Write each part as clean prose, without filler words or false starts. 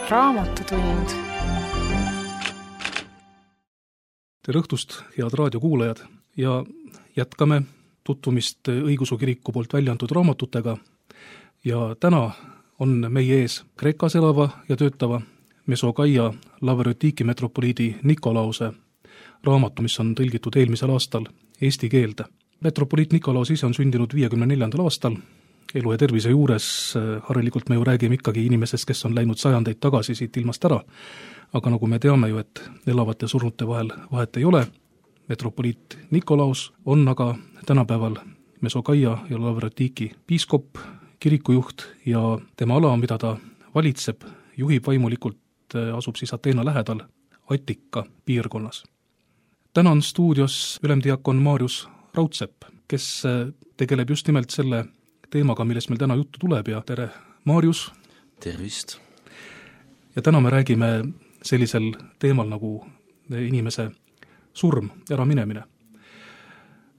Raamatutund. Tere õhtust, head raadiokuulajad, ja jätkame tutvumist Õigeusu Kiriku poolt välja antud raamatutega. Ja täna on meie ees Kreekas elava ja töötava Mesokaia Laverotiki metropoliidi Nikolause raamatu, mis on tõlgitud eelmisel aastal eesti keelde. Metropoliit Nikolaus ise on sündinud 54. aastal. Elu ja tervise juures harilikult me ju räägime ikkagi inimesest, kes on läinud sajandeid tagasi siit ilmast ära. Aga nagu me teame ju, et elavate surnute vahel vahet ei ole. Metropoliit Nikolaus on aga tänapäeval Mesokaia ja Laverotiki piiskop, kirikujuht ja tema ala, mida ta valitseb, juhib vaimulikult, asub siis Ateena lähedal Attika piirkonnas. Täna on stuudios ülemdiakon Maarjus Raudsepp, kes tegeleb just nimelt selle teemaga, millest meil täna juttu tuleb ja tere, Maarjus! Tervist! Ja täna me räägime sellisel teemal nagu inimese surm, äraminemine.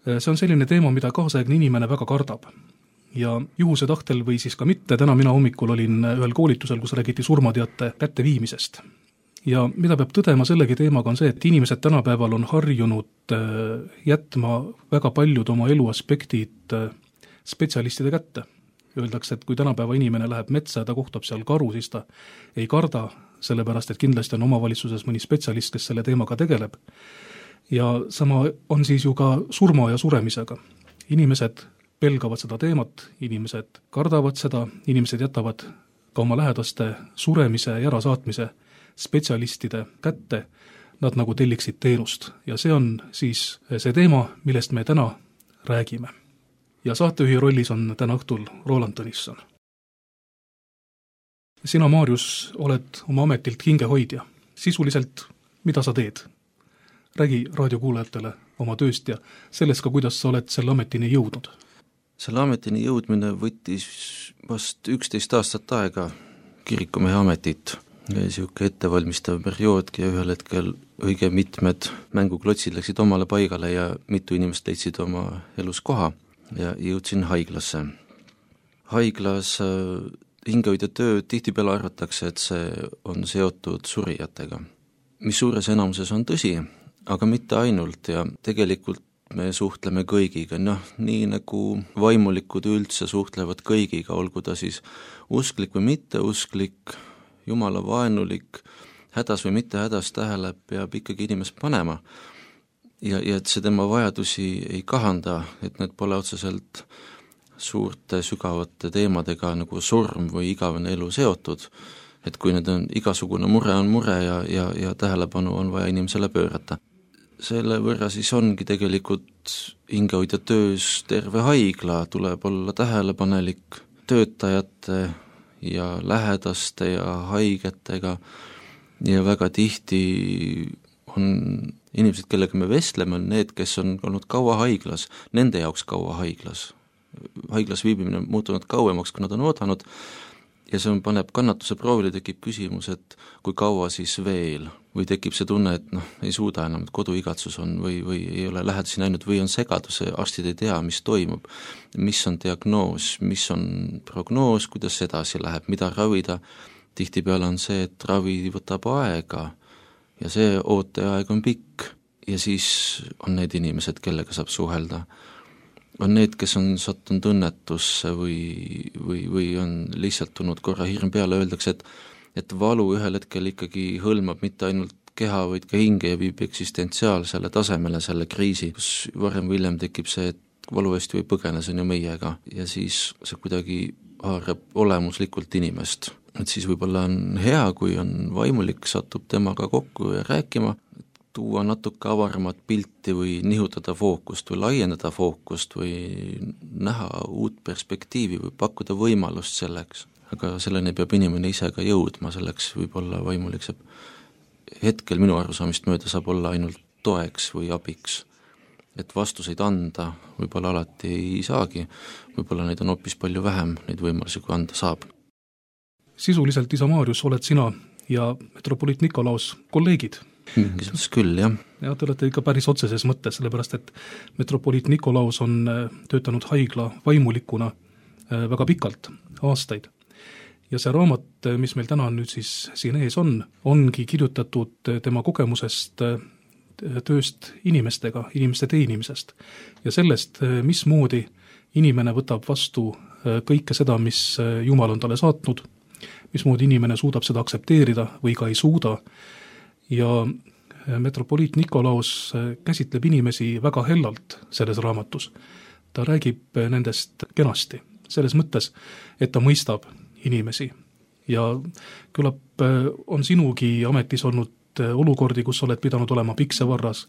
See on selline teema, mida kaasaegne inimene väga kardab. Ja juhuse tahtel või siis ka mitte, täna mina hommikul olin ühel koolitusel, kus räägiti surmateate kätteviimisest. Ja mida peab tõdema sellegi teemaga on see, et inimesed tänapäeval on harjunud jätma väga paljud oma eluaspektid spetsialistide kätte. Öeldakse, et kui tänapäeva inimene läheb metsa ja ta kohtab seal karu, siis ta ei karda, sellepärast et kindlasti on omavalitsuses mõni spetsialist, kes selle teemaga tegeleb. Ja sama on siis ju ka surma ja suremisega. Inimesed pelgavad seda teemat, inimesed kardavad seda, inimesed jätavad ka oma lähedaste suremise ja ärasaatmise spetsialistide kätte, nad nagu telliksid teenust. Ja see on siis see teema, millest me täna räägime. Ja saatejuhi rollis on täna õhtul Roland Tõnisson. Sina, Maarjus, oled oma ametilt hingehoidja. Sisuliselt, mida sa teed? Räägi raadiokuulajatele oma tööst ja sellest ka, kuidas sa oled selle ametini jõudnud. Selle ametini jõudmine võttis vast 11 aastat aega kirikumehe ametit. Siuke ettevalmistav perioodki ja ühel hetkel õige mitmed mänguklotsid läksid omale paigale ja mitu inimest leidsid oma elus koha. Ja jõudsin haiglasse. Haiglas hingehoidja töö tihtipeale arvatakse, et see on seotud surijatega. Mis suures enamuses on tõsi, aga mitte ainult ja tegelikult me suhtleme kõigiga, nii nagu vaimulikud üldse suhtlevad kõigiga, olgu ta siis usklik või mitteusklik, jumala vaenulik, hädas või mitte hädas tähele peab ikkagi inimest panema. Ja et see tema vajadusi ei kahanda, et need pole otseselt suurte sügavate teemadega nagu surm või igavene elu seotud, et kui need on igasugune mure on mure ja tähelepanu on vaja inimesele pöörata. Selle võrra siis ongi tegelikult hingehoidja töös terve haigla, tuleb olla tähelepanelik töötajate ja lähedaste ja haigetega ja väga tihti on inimesed, kellega me vestleme, on need, kes on olnud kaua haiglas, nende jaoks kaua haiglas. Haiglas viibimine on muutunud kauemaks, kui nad on oodanud ja see paneb kannatuse proovile, tekib küsimus, et kui kaua siis veel või tekib see tunne, et ei suuda enam, et koduigatsus on või ei ole lähedasi näinud või on segadus, arstid ei tea, mis toimub, mis on diagnoos, mis on prognoos, kuidas edasi läheb, mida ravida. Tihtipeale on see, et ravi võtab aega ja see ooteaeg on pikk ja siis on need inimesed, kellega saab suhelda. On need, kes on sattunud õnnetusse või on lihtsalt tulnud korra hirm peale, öeldakse, et valu ühel hetkel ikkagi hõlmab mitte ainult keha, vaid ka hinge ja viib eksistentsiaalsele tasemele selle kriisi, kus varem või hiljem tekib see, et valu eest või põgene, see on ju meiega ja siis see kuidagi haarab olemuslikult inimest. Et siis võib-olla on hea, kui on vaimulik, satub temaga kokku ja rääkima, tuua natuke avaramat pilti või nihutada fookust või laiendada fookust või näha uut perspektiivi või pakkuda võimalust selleks. Aga selleni peab inimene ise ka jõudma, selleks võib-olla vaimulik saab hetkel minu arusaamist mööda saab olla ainult toeks või abiks. Et vastuseid anda võib-olla alati ei saagi, võib-olla neid on hoopis palju vähem, neid võimalusi kui anda saab. Sisuliselt, isa Maarjus, oled sina ja metropoliit Nikolaus kolleegid. Mingis küll, jah. Ja te olete ikka päris otseses mõttes, sellepärast et metropoliit Nikolaus on töötanud haigla vaimulikuna väga pikalt, aastaid. ja see raamat, mis meil täna nüüd siis siin ees on, ongi kirjutatud tema kogemusest tööst inimestega, inimeste teenimisest ja sellest, mismoodi inimene võtab vastu kõike seda, mis Jumal on talle saatnud, mismoodi inimene suudab seda aktsepteerida või ka ei suuda ja metropoliit Nikolaos käsitleb inimesi väga hellalt selles raamatus. Ta räägib nendest kenasti, selles mõttes, et ta mõistab inimesi ja küllap on sinugi ametis olnud olukordi, kus oled pidanud olema piksevarras,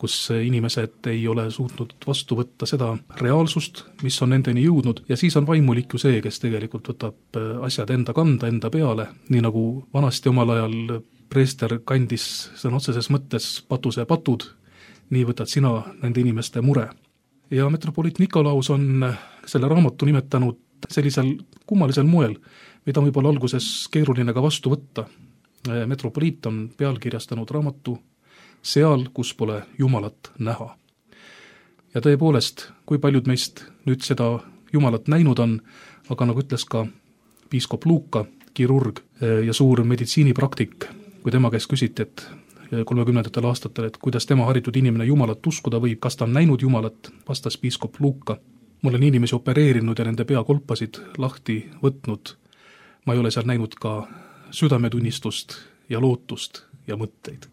kus inimesed ei ole suutnud vastu võtta seda reaalsust, mis on nendeni jõudnud ja siis on vaimulik ju see, kes tegelikult võtab asjad enda kanda, enda peale, nii nagu vanasti omal ajal preester kandis sõna otseses mõttes patuse patud, nii võtad sina nende inimeste mure. Ja metropoliit Nikolaus on selle raamatu nimetanud sellisel kummalisel moel, mida on võib-olla alguses keeruline ka vastu võtta. Metropoliit on pealkirjastanud raamatu Seal, kus pole Jumalat näha. Ja tõepoolest, kui paljud meist nüüd seda Jumalat näinud on, aga nagu ütles ka piiskop Luuka, kirurg ja suur meditsiinipraktik, kui tema käest küsiti, et 30. aastatel, et kuidas tema haritud inimene Jumalat uskuda võib, kas ta on näinud Jumalat, vastas piiskop Luuka. Ma olen inimesi opereerinud ja nende peakolpasid lahti võtnud. Ma ei ole seal näinud ka südametunnistust ja lootust ja mõtteid.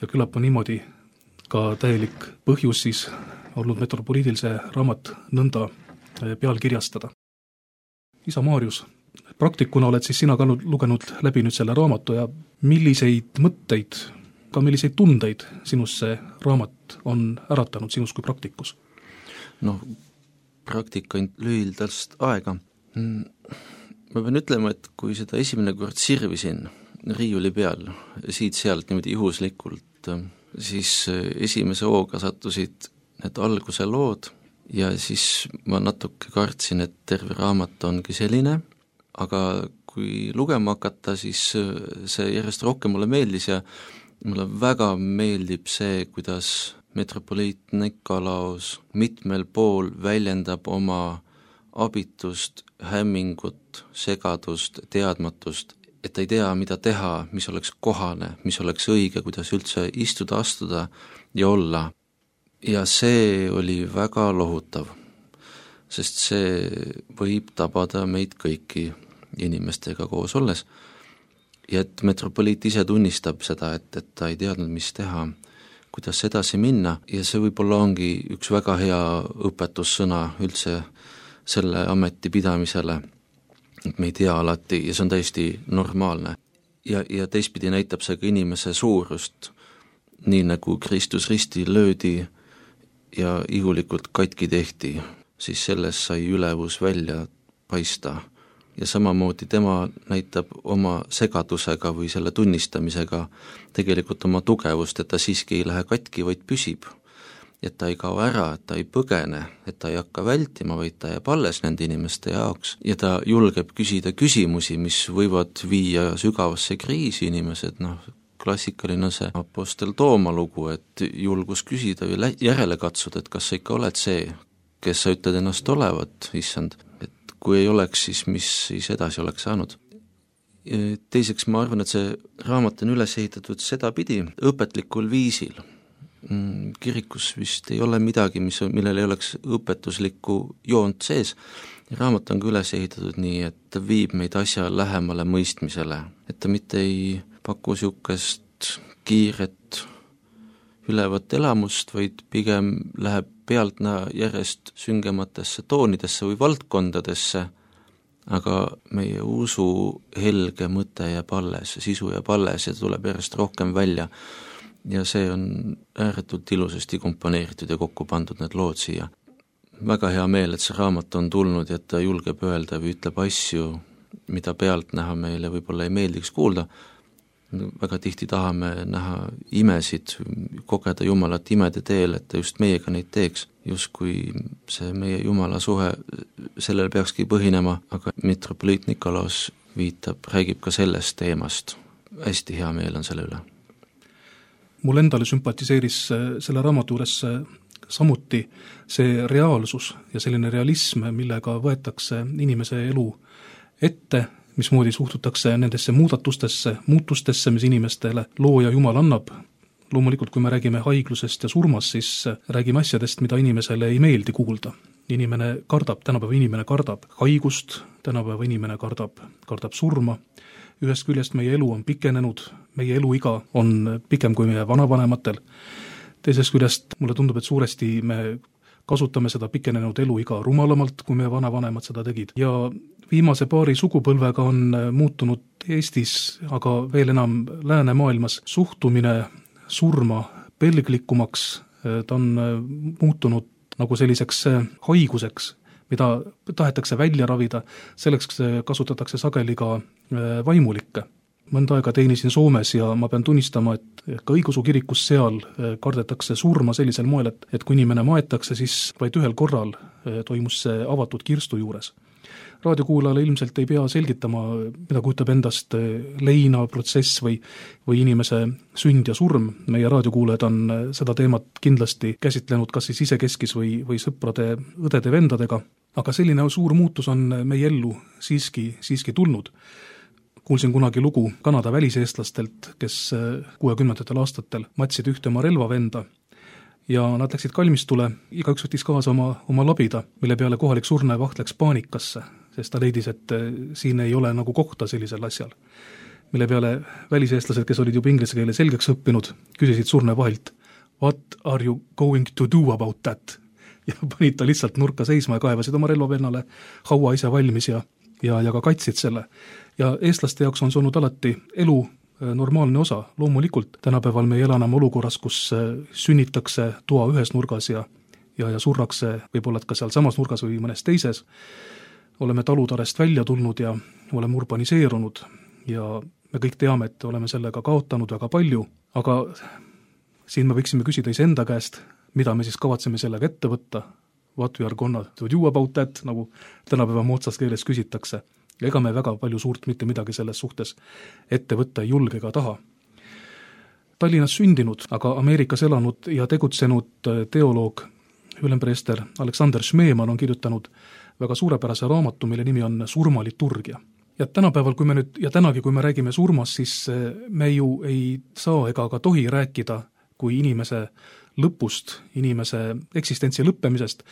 Ja küllap on niimoodi ka täielik põhjus siis olnud metropoliidil see raamat nõnda pealkirjastada. Isa Maarjus, praktikuna oled siis sina ka lugenud läbi nüüd selle raamatu ja milliseid mõtteid, ka milliseid tundeid sinus see raamat on äratanud sinus kui praktikus? Praktika lühildast aega. Ma pean ütlema, et kui seda esimene kord sirvisin riiuli peal, siit-sealt niimoodi juhuslikult, siis esimese hooga sattusid need alguse lood ja siis ma natuke kartsin, et terve raamat ongi selline, aga kui lugema hakata, siis see järjest rohkem mulle meeldis ja mulle väga meeldib see, kuidas metropoliit Nikolaos mitmel pool väljendab oma abitust, hämmingut, segadust, teadmatust, et ta ei tea, mida teha, mis oleks kohane, mis oleks õige, kuidas üldse istuda, astuda ja olla. Ja see oli väga lohutav, sest see võib tabada meid kõiki inimestega koos olles. Ja et metropoliit ise tunnistab seda, et ta ei teadnud, mis teha, kuidas edasi minna ja see võib-olla ongi üks väga hea õpetussõna üldse selle ameti pidamisele, et me ei tea alati ja see on täiesti normaalne. Ja teistpidi näitab see ka inimese suurust, nii nagu Kristus risti löödi ja ihulikult katki tehti, siis sellest sai ülevus välja paista. Ja samamoodi tema näitab oma segadusega või selle tunnistamisega tegelikult oma tugevust, et ta siiski ei lähe katki, vaid püsib. Et ta ei kao ära, et ta ei põgene, et ta ei hakka vältima, vaid ta jääb alles nende inimeste jaoks. Ja ta julgeb küsida küsimusi, mis võivad viia sügavasse kriisi inimesed, klassikaline see apostel Tooma lugu, et julgus küsida või järele katsuda, et kas sa ikka oled see, kes sa ütled ennast olevat, issand. Kui ei oleks, siis mis siis edasi oleks saanud. Teiseks ma arvan, et see raamat on üles ehitatud sedapidi õpetlikul viisil. Kirikus vist ei ole midagi, millel ei oleks õpetuslikku joont sees. Raamat on ka üles ehitatud nii, et ta viib meid asja lähemale mõistmisele, et ta mitte ei paku siukest kiiret ülevat elamust, vaid pigem läheb pealtnäha järjest süngematesse toonidesse või valdkondadesse, aga meie usu helge mõte jääb alles, sisu jääb alles ja tuleb järjest rohkem välja. Ja see on ääretult ilusasti komponeeritud ja kokku pandud need lood siia. Väga hea meel, et see raamat on tulnud ja et ta julgeb öelda või ütleb asju, mida pealtnäha meile võib-olla ei meeldiks kuulda. Väga tihti tahame näha imesid, kogeda Jumalat imede teel, et ta just meiega neid teeks, justkui see meie Jumala suhe sellel peakski põhinema, aga metropoliit Nikolaos räägib ka sellest teemast. Hästi hea meel on selle üle. Mul endale sümpatiseeris selle raamatu juures samuti see reaalsus ja selline realism, millega võetakse inimese elu ette, mismoodi suhtutakse nendesse muutustesse, mis inimestele looja Jumal annab. Loomulikult, kui me räägime haiglusest ja surmast, siis räägime asjadest, mida inimesele ei meeldi kuulda. Tänapäeva inimene kardab haigust, tänapäeva inimene kardab surma. Ühest küljest meie elu on pikenenud, meie eluiga on pikem kui meie vanavanematel. Teisest küljest mulle tundub, et suuresti me kasutame seda pikenenud eluiga rumalamalt, kui meie vanavanemad seda tegid. Ja viimase paari sugupõlvega on muutunud Eestis, aga veel enam läänemaailmas suhtumine surma pelglikumaks. Ta on muutunud nagu selliseks haiguseks, mida tahetakse välja ravida, selleks kasutatakse sageli ka vaimulikke. Mõnda aega teenisin Soomes ja ma pean tunnistama, et ka õigeusu kirikus seal kardetakse surma sellisel moel, et kui inimene maetakse, siis vaid ühel korral toimus see avatud kirstu juures. Raadiokuulajale ilmselt ei pea selgitama, mida kujutab endast leinaprotsess või inimese sünd ja surm. Meie raadiokuulajad on seda teemat kindlasti käsitlenud kas siis isekeskis või sõprade, õdede, vendadega, aga selline suur muutus on meie ellu siiski tulnud. Kuulsin kunagi lugu Kanada väliseestlastelt, kes 60. aastatel matsid ühte oma relvavenda ja nad läksid kalmistule, igaüks võttis kaasa oma labida, mille peale kohalik surnuvaht läks paanikasse, sest ta leidis, et siin ei ole nagu kohta sellisel asjal. Mille peale väliseestlased, kes olid juba inglise keele selgeks õppinud, küsisid surnuvahilt, what are you going to do about that? Ja panid ta lihtsalt nurka seisma ja kaevasid oma relvavennale haua ise valmis ja ka kaitsid selle. Ja eestlaste jaoks on see olnud alati elu normaalne osa. Loomulikult tänapäeval me ei ela enam olukorras, kus sünnitakse toa ühes nurgas ja surrakse võib-olla ka seal samas nurgas või mõnes teises. Oleme talutarest välja tulnud ja oleme urbaniseerunud ja me kõik teame, et oleme sellega kaotanud väga palju, aga siin me võiksime küsida iseenda käest, mida me siis kavatseme sellega ette võtta, what we are gonna do about that, nagu tänapäeva moodsas keeles küsitakse. Ja ega me väga palju suurt mitte midagi selles suhtes ette võtta ei julge ega taha. Tallinnas sündinud, aga Ameerikas elanud ja tegutsenud teoloog ülempreester Alexander Schmeemann on kirjutanud väga suurepärase raamatu, mille nimi on Surmaliturgia. Ja tänapäeval, kui me räägime surmast, siis me ju ei saa ega ka tohi rääkida kui inimese lõpust, inimese eksistentsi lõppemisest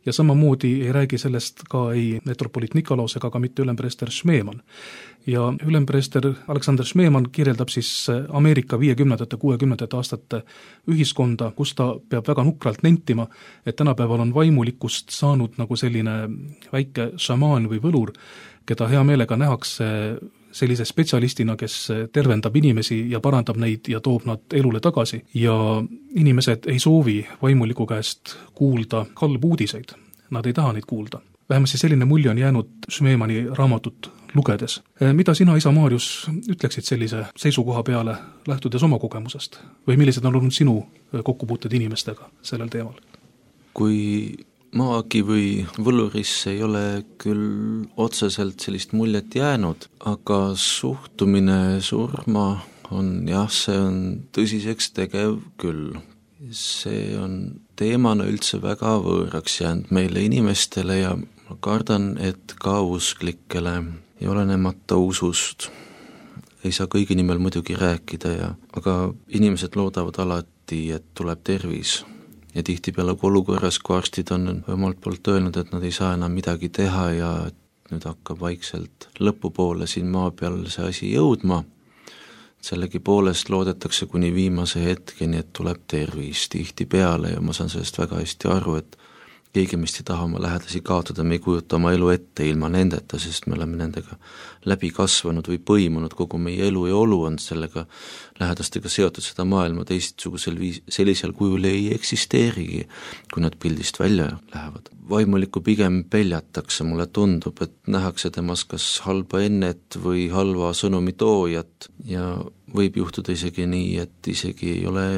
ja samamoodi ei räägi sellest ka ei metropoliit Nikolaus ega ka mitte ülempreester Schmeemann. Ja ülempreester Alexander Schmeemann kirjeldab siis Ameerika 50-60 aastate ühiskonda, kus ta peab väga nukralt nentima, et tänapäeval on vaimulikust saanud nagu selline väike šamaan või võlur, keda hea meelega nähakse sellise spetsialistina, kes tervendab inimesi ja parandab neid ja toob nad elule tagasi. Ja inimesed ei soovi vaimuliku käest kuulda halbu uudiseid. Nad ei taha neid kuulda. Vähemasti selline mulje on jäänud Schmeemanni raamatut lugedes. Mida sina, isa Maarjus, ütleksid sellise seisukoha peale, lähtudes oma kogemusest? Või millised on olnud sinu kokkupuuted inimestega sellel teemal? Kui maagi või võlurisse ei ole küll otseselt sellist muljet jäänud, aga suhtumine surma on see on tõsiseks tegev küll. See on teemana üldse väga võõraks jäänud meile inimestele ja ma kardan, et ka usklikele ja olenemata usust. Ei saa kõigi nimel muidugi rääkida, aga inimesed loodavad alati, et tuleb tervis. Ja tihtipeale olukorras, kui arstid on omalt poolt öelnud, et nad ei saa enam midagi teha ja nüüd hakkab vaikselt lõpupoole siin maa peal see asi jõudma, sellegi poolest loodetakse kuni viimase hetkeni, et tuleb tervis tihtipeale ja ma saan sellest väga hästi aru, et keegi meist ei taha oma lähedasi kaotada, me ei kujuta oma elu ette ilma nendeta, sest me oleme nendega läbi kasvanud või põimunud, kogu meie elu ja olu on sellega lähedastega seotud, seda maailma sellisel kujul ei eksisteerigi, kui nad pildist välja lähevad. Vaimulikku pigem peljatakse, mulle tundub, et nähakse temas kas halba ennet või halva sõnumi toojat ja võib juhtuda isegi nii, et isegi ei ole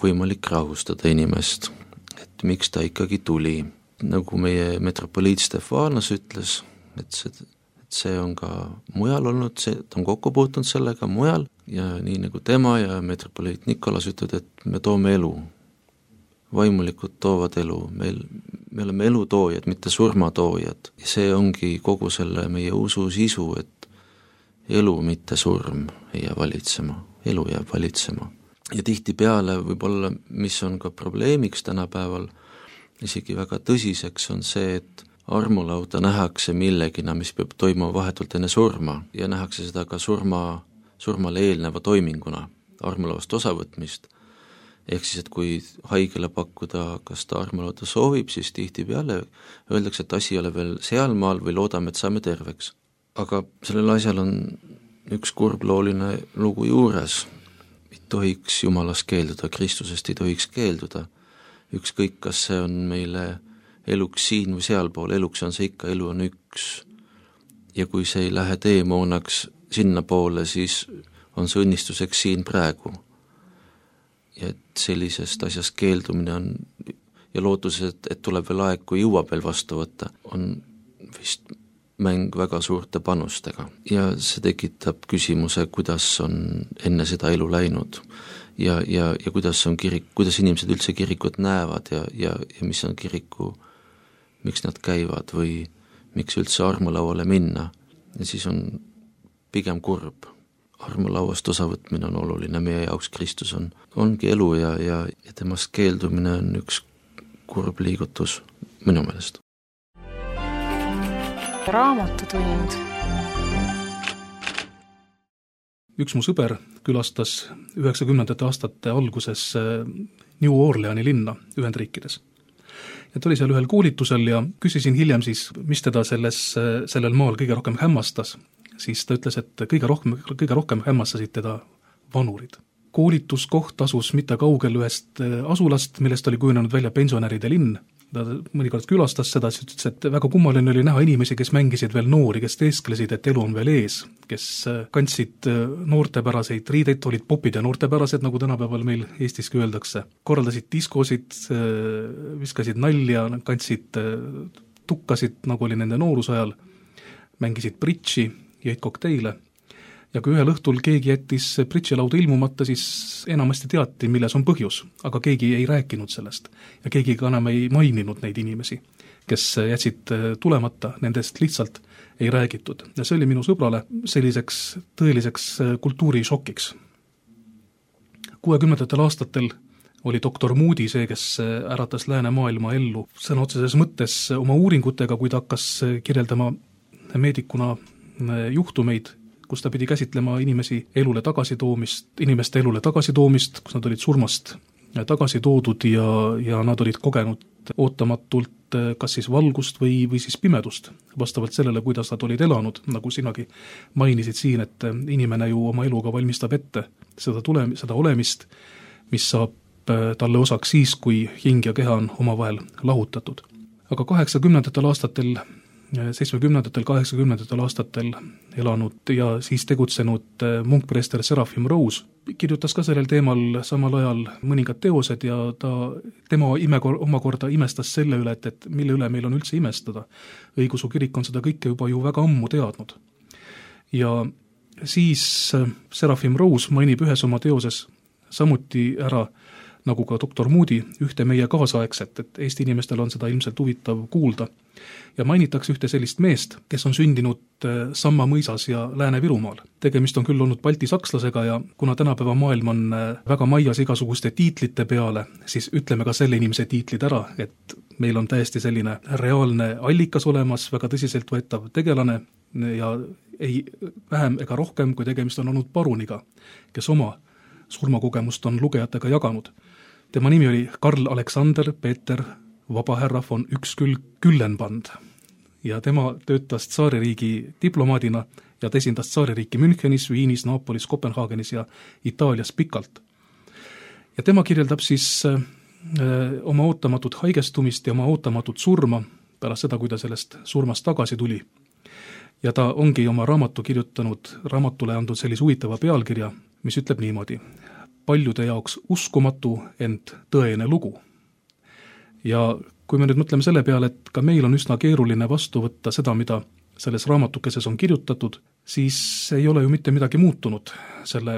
võimalik rahustada inimest, et miks ta ikkagi tuli. Nagu meie metropoliit Stefanos ütles, et see on ka mujal olnud, ta on kokku puutunud sellega mujal ja nii nagu tema ja metropoliit Nikolaus ütlevad, et me toome elu. Vaimulikud toovad elu, me oleme elutoojad, mitte surmatoojad. Ja see ongi kogu selle meie usu sisu, et elu, mitte surm ei jää valitsema, elu jääb valitsema. Ja tihtipeale võib-olla, mis on ka probleemiks tänapäeval, isegi väga tõsiseks, on see, et armulauda nähakse millegina, mis peab toimuma vahetult enne surma ja nähakse seda ka surmale eelneva toiminguna, armulauast osavõtmist. Ehk siis, et kui haigele pakkuda, kas ta armulauda soovib, siis tihtipeale öeldakse, et asi ei ole veel sealmaal või loodame, et saame terveks. Aga sellel asjal on üks kurblooline lugu juures. Ei tohiks Jumalast keelduda, Kristusest ei tohiks keelduda. Ükskõik, kas see on meile eluks siin või sealpool, eluks on see ikka, elu on üks. Ja kui see ei lähe teemoonaks sinna poole, siis on see õnnistuseks siin praegu. Ja et sellisest asjast keeldumine on ja lootus, et tuleb veel aeg, kui jõuab veel vastu võtta, on vist mäng väga suurte panustega. Ja see tekitab küsimuse, kuidas on enne seda elu läinud ja kuidas on kuidas inimesed üldse kirikut näevad ja mis on kiriku, miks nad käivad või miks üldse armulauale minna. Ja siis on pigem kurb. Armulauast osavõtmine on oluline, meie jaoks Kristus ongi elu ja temast keeldumine on üks kurb liigutus minu meelest. Raamatutund. Üks mu sõber külastas 90. aastate alguses New Orleani linna Ühendriikides. Ja ta oli seal ühel koolitusel ja küsisin hiljem siis, mis teda sellel maal kõige rohkem hämmastas. Siis ta ütles, et kõige rohkem hämmastasid teda vanurid. Koolituskoht asus mitte kaugel ühest asulast, millest oli kujunenud välja pensionäride linn. Ta mõnikord külastas seda, siis ütles, et väga kummaline oli näha inimesi, kes mängisid veel noori, kes teesklesid, et elu on veel ees, kes kandsid noortepäraseid riideid, olid popid ja noortepärased, nagu tänapäeval meil Eestiski öeldakse. Korraldasid diskosid, viskasid nalja, kandsid tukkasid, nagu oli nende noorusajal, mängisid bridži, jõid kokteile. Ja kui ühel õhtul keegi jättis bridžilauda ilmumata, siis enamasti teati, milles on põhjus, aga keegi ei rääkinud sellest. Ja keegi ka enam ei maininud neid inimesi, kes jätsid tulemata, nendest lihtsalt ei räägitud. Ja see oli minu sõbrale selliseks tõeliseks kultuurišokiks. 60. aastatel oli doktor Moody see, kes äratas läänemaailma ellu sõna otseses mõttes oma uuringutega, kui ta hakkas kirjeldama meedikuna juhtumeid, kus ta pidi käsitlema inimeste elule tagasitoomist, kus nad olid surmast tagasi toodud ja nad olid kogenud ootamatult kas siis valgust või siis pimedust, vastavalt sellele, kuidas nad olid elanud, nagu sinagi mainisid siin, et inimene ju oma eluga valmistab ette seda olemist, mis saab talle osaks siis, kui hing ja keha on omavahel lahutatud. Aga 80. aastatel 70. 80. aastatel elanud ja siis tegutsenud munkpreester Serafim Rose kirjutas ka sellel teemal samal ajal mõningad teosed ja tema omakorda imestas selle üle, et mille üle meil on üldse imestada. Õigeusu kirik on seda kõike juba ju väga ammu teadnud. Ja siis Serafim Rose mainib ühes oma teoses samuti ära, nagu ka doktor Moody, ühte meie kaasaegset, et Eesti inimestel on seda ilmselt huvitav kuulda. Ja mainitakse ühte sellist meest, kes on sündinud Samma mõisas ja Lääne-Virumaal. Tegemist on küll olnud baltisakslasega ja kuna tänapäeva maailm on väga maias igasuguste tiitlite peale, siis ütleme ka selle inimese tiitlid ära, et meil on täiesti selline reaalne allikas olemas, väga tõsiselt võetav tegelane ja ei vähem ega rohkem, kui tegemist on olnud paruniga, kes oma surmakogemust on lugejatega jaganud. Tema nimi oli Karl Alexander Peeter Vabahärra von Üksküllenband ja tema töötas tsaaririigi diplomaadina ja ta esindas tsaaririiki Münchenis, Viinis, Naapolis, Kopenhaagenis ja Itaalias pikalt. Ja tema kirjeldab siis oma ootamatut haigestumist ja oma ootamatut surma pärast seda, kui ta sellest surmast tagasi tuli. Ja ta ongi oma raamatule andnud sellise huvitava pealkirja, mis ütleb niimoodi: paljude jaoks uskumatu, ent tõene lugu. Ja kui me nüüd mõtleme selle peale, et ka meil on üsna keeruline vastu võtta seda, mida selles raamatukeses on kirjutatud, siis ei ole ju mitte midagi muutunud selle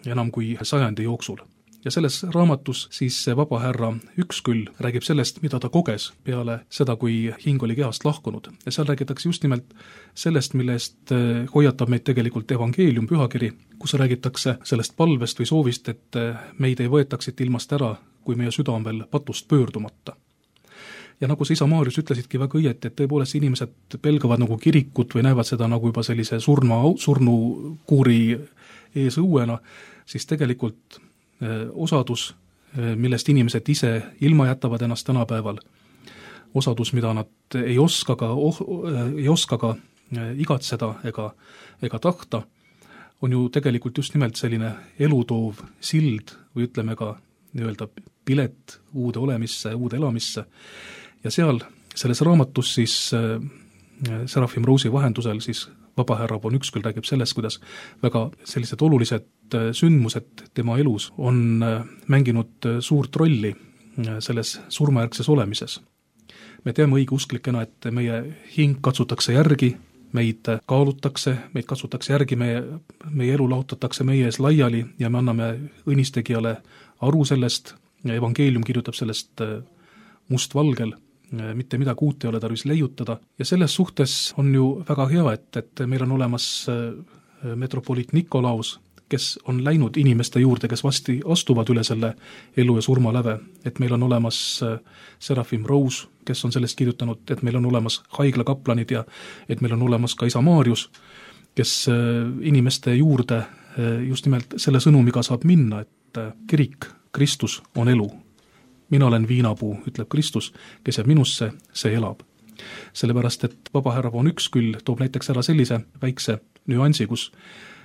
enam kui 100 jooksul. ja selles raamatus siis see vabahärra Üksküll räägib sellest, mida ta koges peale seda, kui hing oli kehast lahkunud. Ja seal räägitakse just nimelt sellest, mille eest hoiatab meid tegelikult evangeelium, pühakiri, kus räägitakse sellest palvest või soovist, et meid ei võetaks siit ilmast ära, kui meie süda on veel patust pöördumata. Ja nagu sa isa Maarjus ütlesidki väga õieti, et tõepoolest inimesed pelgavad nagu kirikut või näevad seda nagu juba sellise surnukuuri ees õuena, siis tegelikult osadus, millest inimesed ise ilma jätavad ennast tänapäeval, osadus, mida nad ei oska ka igatseda ega tahta, on ju tegelikult just nimelt selline elutoov sild või ütleme ka nii-öelda pilet uude olemisse, uude elamisse. Ja selles raamatus siis Serafim Roosi vahendusel siis vabahärra von Üksküll räägib sellest, kuidas väga sellised olulised sündmused tema elus on mänginud suurt rolli selles surmajärgses olemises. Me teame õigeusklikena, et meie hing katsutakse järgi, meid kaalutakse, meid katsutakse järgi, meie elu lahutatakse meie ees laiali ja me anname õnnistegijale aru sellest, evangeelium kirjutab sellest mustvalgel, mitte midagi uut ei ole tarvis leiutada ja selles suhtes on ju väga hea, et meil on olemas metropoliit Nikolaus, kes on läinud inimeste juurde, kes vasti astuvad üle selle elu ja surma läve, et meil on olemas Serafim Roos, kes on sellest kirjutanud, et meil on olemas haiglakaplanid ja et meil on olemas ka isa Maarjus, kes inimeste juurde just nimelt selle sõnumiga saab minna, et kirik, Kristus on elu. Mina olen viinapuu, ütleb Kristus, kes jääb minusse, see elab. Sellepärast, et vabahärra von Üksküll toob näiteks ära sellise väikse nüansi, kus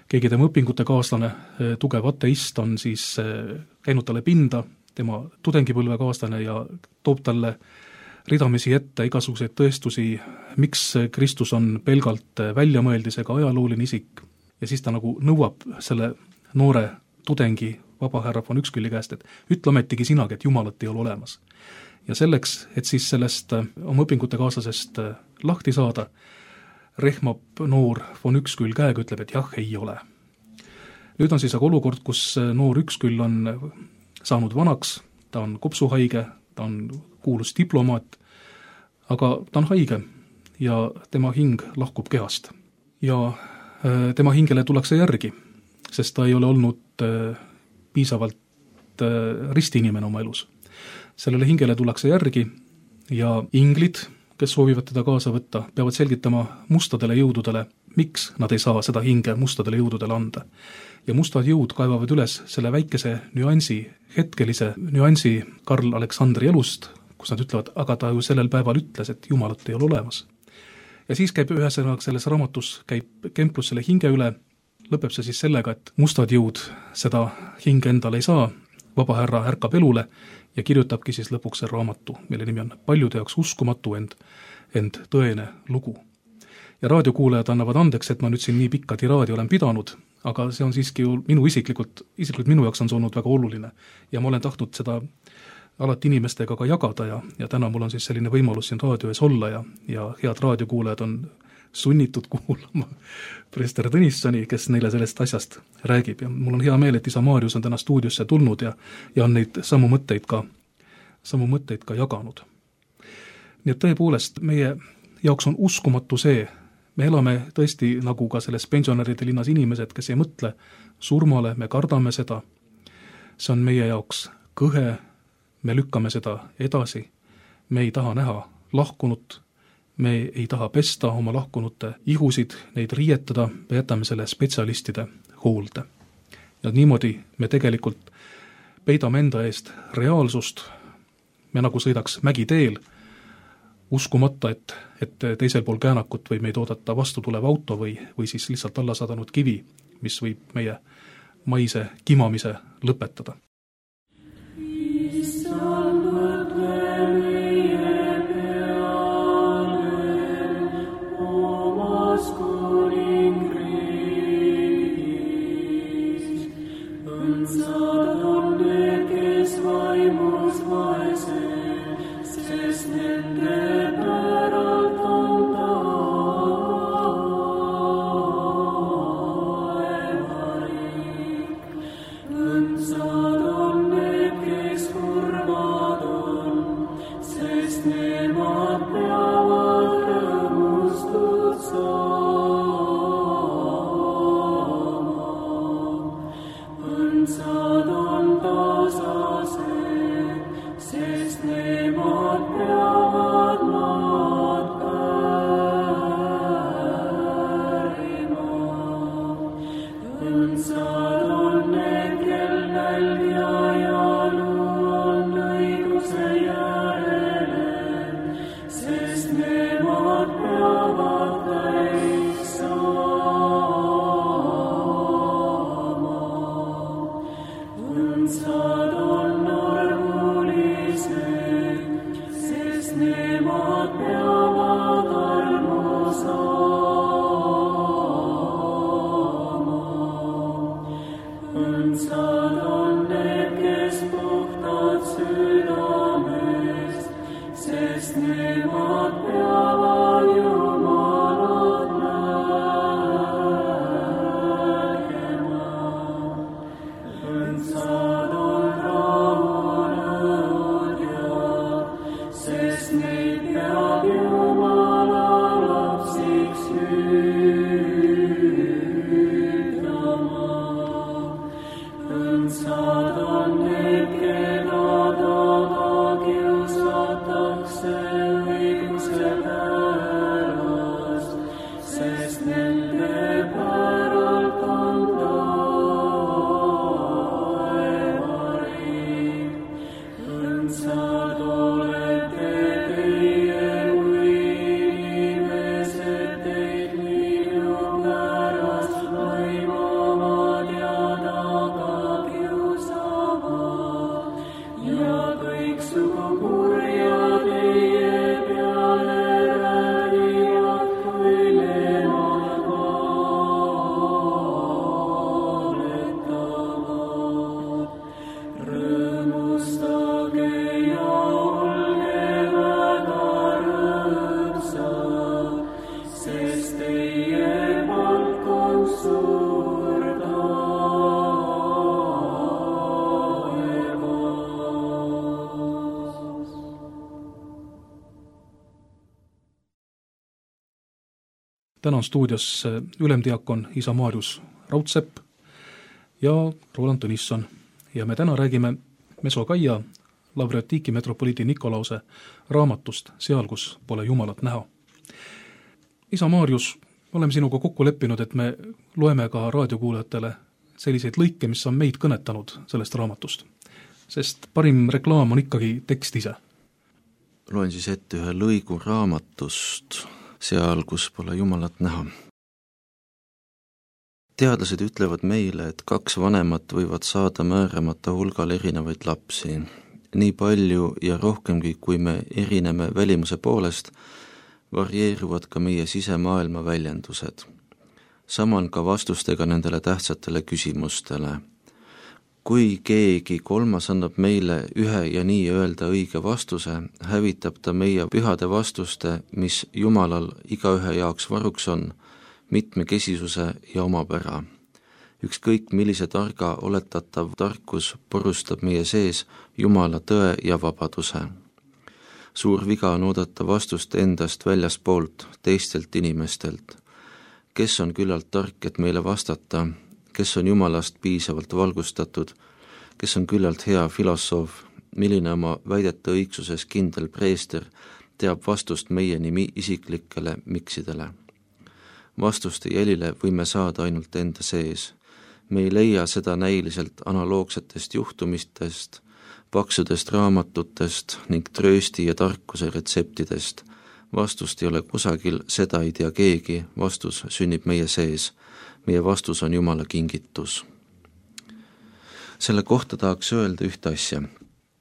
keegi tema õpingute kaaslane, tugev ateist, on siis käinud talle pinda, tema tudengipõlve kaaslane ja toob talle ridamisi ette igasuguseid tõestusi, miks Kristus on pelgalt väljamõeldisega ajalooline isik. Ja siis ta nagu nõuab selle noore tudengi vabahärra von Ükskülli käest, et ütle ometigi sinagi, et Jumalat ei ole olemas. Ja selleks, et siis sellest oma õpingute kaaslasest lahti saada, rehmab noor von Üksküll käega, ütleb, et jah, ei ole. Nüüd on siis aga olukord, kus noor Üksküll on saanud vanaks, ta on kopsuhaige, ta on kuulus diplomaat, aga ta on haige ja tema hing lahkub kehast. Ja tema hingele tullakse järgi, sest ta ei ole olnud piisavalt ristiinimene oma elus. Sellele hingele tullakse järgi ja inglid, kes soovivad teda kaasa võtta, peavad selgitama mustadele jõududele, miks nad ei saa seda hinge mustadele jõududele anda. Ja mustad jõud kaevavad üles selle väikese nüansi, hetkelise nüansi Karl Aleksandri elust, kus nad ütlevad, aga ta ju sellel päeval ütles, et Jumalat ei ole olemas. Ja siis käib ühesõnaga selles raamatus, käib kemplus selle hinge üle, lõpeb see siis sellega, et mustad jõud seda hinge endale ei saa, vabahärra ärkab elule ja kirjutabki siis lõpuks see raamatu, mille nimi on paljude jaoks uskumatu, ent tõene lugu. Ja raadiokuulajad annavad andeks, et ma nüüd siin nii pikka tiraadi olen pidanud, aga see on siiski ju isiklikult minu jaoks on see olnud väga oluline ja ma olen tahtnud seda alati inimestega ka jagada ja täna mul on siis selline võimalus siin raadio ees olla ja head raadiokuulajad on sunnitud kuulama preester Tõnissoni, kes neile sellest asjast räägib ja mul on hea meel, et isa Maarjus on täna stuudiosse tulnud ja on neid samu mõtteid ka jaganud. Nii et tõepoolest, meie jaoks on uskumatu see, me elame tõesti nagu ka selles pensionäride linnas inimesed, kes ei mõtle surmale, me kardame seda, see on meie jaoks kõhe, me lükkame seda edasi, me ei taha näha lahkunut, me ei taha pesta oma lahkunute ihusid, neid riietada, me jätame selle spetsialistide hoolde. Ja niimoodi me tegelikult peidame enda eest reaalsust, me nagu sõidaks mägiteel, uskumata, et teisel pool käänakut võib meid oodata vastu tulev auto või siis lihtsalt alla sadanud kivi, mis võib meie maise kimamise lõpetada. Unser südamest, sest nemad peavad Jumalat nägema. Õndsad on rahunenud sest neid peab Jumala lapsiks hüüdama. Õndsad on need, keda taga kiusatakse õiguse pärast, sest nende päralt on taevariik. Õndsad olete teie, kui inimesed teid minu pärast laimavad ja taga kiusavad ja kõiksugu kurja teie peale räägivad, kui nemad valetavad. Rõõmustage ja olge väga rõõmsad, sest teie palk on suur taevas. täna on stuudios ülemdiakon isa Maarjus Raudsepp ja Roland Tõnisson ja me täna räägime Mesokaia Lavreotiki metropoliidi Nikolause raamatust Seal, kus pole Jumalat näha. isa Maarjus, oleme sinuga kokku leppinud, et me loeme ka raadiokuulajatele selliseid lõike, mis on meid kõnetanud sellest raamatust, sest parim reklaam on ikkagi tekst ise. Loen siis ette ühe lõigu raamatust Seal, kus pole Jumalat näha. Teadlased ütlevad meile, et 2 vanemat võivad saada määramata hulgal erinevaid lapsi. Nii palju ja rohkemgi, kui me erineme välimuse poolest, varieeruvad ka meie sisemaailma väljendused. Sama on ka vastustega nendele tähtsatele küsimustele. Kui keegi kolmas annab meile ühe ja nii öelda õige vastuse, hävitab ta meie pühade vastuste, mis Jumalal igaühe jaoks varuks on, mitmekesisuse ja omapära. Ükskõik millise targa oletatav tarkus porustab meie sees Jumala tõe ja vabaduse. Suur viga on oodata vastust endast väljaspoolt, teistelt inimestelt. Kes on küllalt tark, et meile vastata, kes on Jumalast piisavalt valgustatud, kes on küllalt hea filosoof, milline oma väidete õigsuses kindel preester teab vastust meie nimi isiklikele miksidele. Vastuste jälile võime saada ainult enda sees. Me ei leia seda näiliselt analoogsetest juhtumistest, paksudest raamatutest ning tröösti ja tarkuse retseptidest. Vastust ei ole kusagil, seda ei tea keegi, vastus sünnib meie sees. Meie vastus on Jumala kingitus. Selle kohta tahaks öelda ühte asja.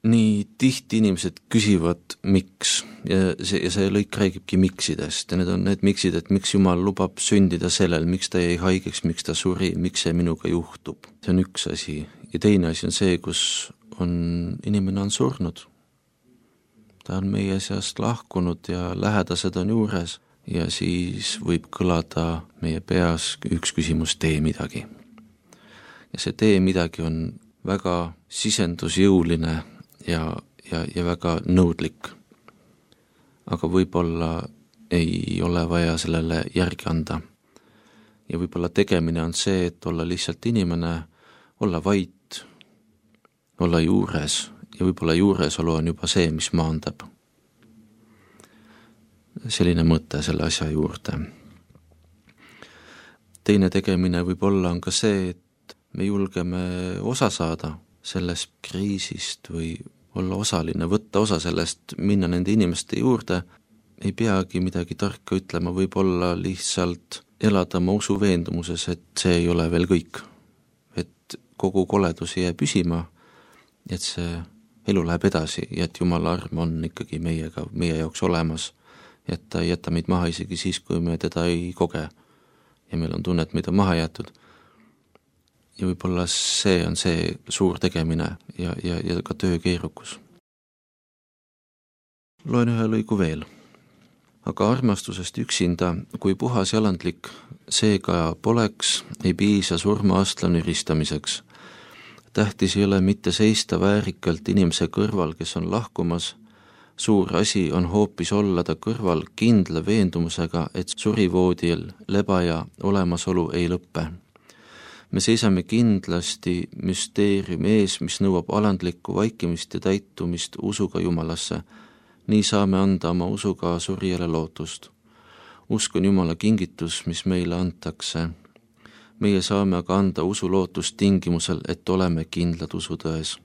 Nii tihti inimesed küsivad, miks, ja see lõik räägibki miksidest, ja need on need miksid, et miks Jumal lubab sündida sellel, miks ta jäi haigeks, miks ta suri, miks see minuga juhtub. See on üks asi. Ja teine asi on see, kus inimene on surnud. Ta on meie seast lahkunud ja lähedased on juures ja siis võib kõlada meie peas üks küsimus, tee midagi. Ja see tee midagi on väga sisendusjõuline ja väga nõudlik. Aga võib-olla ei ole vaja sellele järgi anda. Ja võib-olla tegemine on see, et olla lihtsalt inimene, olla vait, olla juures ja võib-olla juuresolu on juba see, mis maandab. Selline mõte selle asja juurde. Teine tegemine võib-olla on ka see, et me julgeme osa saada sellest kriisist või olla osaline, võtta osa sellest, minna nende inimeste juurde, ei peagi midagi tarka ütlema, võib-olla lihtsalt elada oma usu veendumuses, et see ei ole veel kõik. Et kogu koledus ei jää püsima, et see elu läheb edasi ja et Jumala arm on ikkagi meiega, meie jaoks olemas, et ta ei jäta meid maha isegi siis, kui me teda ei koge ja meil on tunne, et meid on maha jäetud. ja võib-olla see on see suur tegemine ja ka töö keerukus. Loen ühe lõigu veel. Aga armastusest üksinda, kui puhas jalandlik seega poleks, ei piisa surma-astla nüristamiseks. Tähtis ei ole mitte seista väärikalt inimese kõrval, kes on lahkumas. Suur asi on hoopis olla ta kõrval kindla veendumusega, et surivoodil lebaja olemasolu ei lõppe. Me seisame kindlasti müsteeriumi ees, mis nõuab alandlikku vaikimist ja täitumist usuga Jumalasse. Nii saame anda oma usuga surijale lootust. Usk on Jumala kingitus, mis meile antakse. Meie saame aga anda usu lootust tingimusel, et oleme kindlad usutões.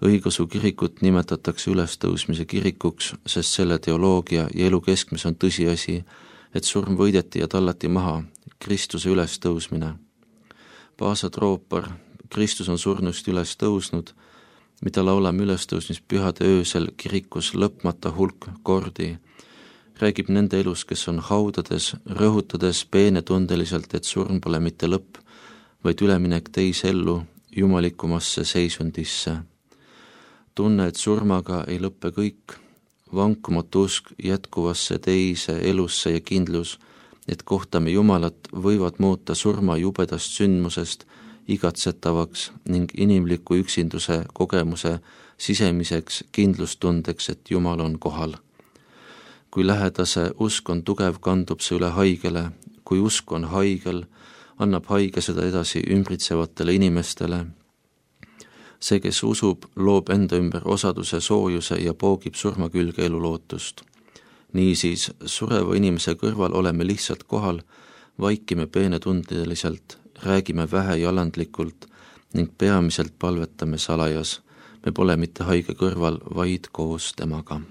Õigeusu kirikut nimetatakse ülestõusmise kirikuks, sest selle teoloogia ja elu keskmes on tõsiasi, et surm võideti ja tallati maha, Kristuse ülestõusmine. Paasa troopar, Kristus on surnust üles tõusnud, mida laulame ülestõusmispühade öösel kirikus lõpmata hulk kordi, räägib nende elus, kes on haudades, rõhutades peenetundeliselt, et surm pole mitte lõpp, vaid üleminek teise ellu, jumalikumasse seisundisse. Tunne, et surmaga ei lõppe kõik, vankumatu usk jätkuvasse teise elusse ja kindlus, et kohtame Jumalat, võivad muuta surma jubedast sündmusest igatsetavaks ning inimliku üksinduse kogemuse sisemiseks kindlustundeks, et Jumal on kohal. Kui lähedase usk on tugev, kandub see üle haigele. Kui usk on haigel, annab haige seda edasi ümbritsevatele inimestele. See, kes usub, loob enda ümber osaduse, soojuse ja poogib surma külge elulootust. Niisiis, sureva inimese kõrval oleme lihtsalt kohal, vaikime peenetundeliselt, räägime vähe jalandlikult ning peamiselt palvetame salajas. Me pole mitte haige kõrval, vaid koos temaga.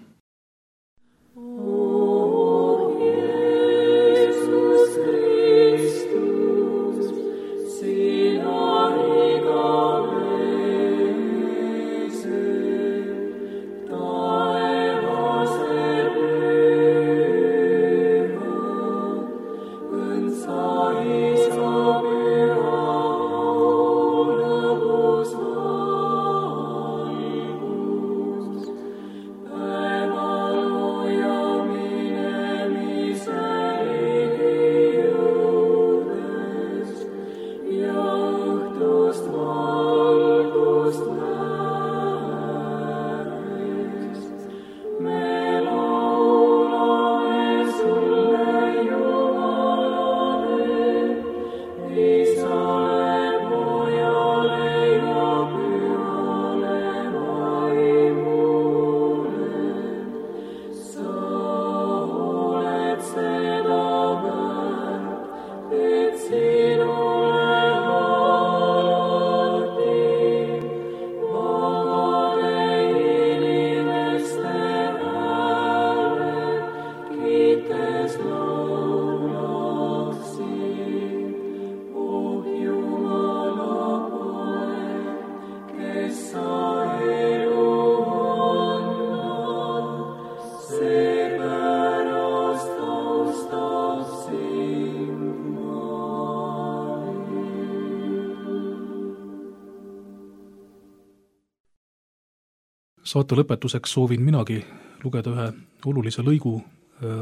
Saate lõpetuseks soovin minagi lugeda ühe olulise lõigu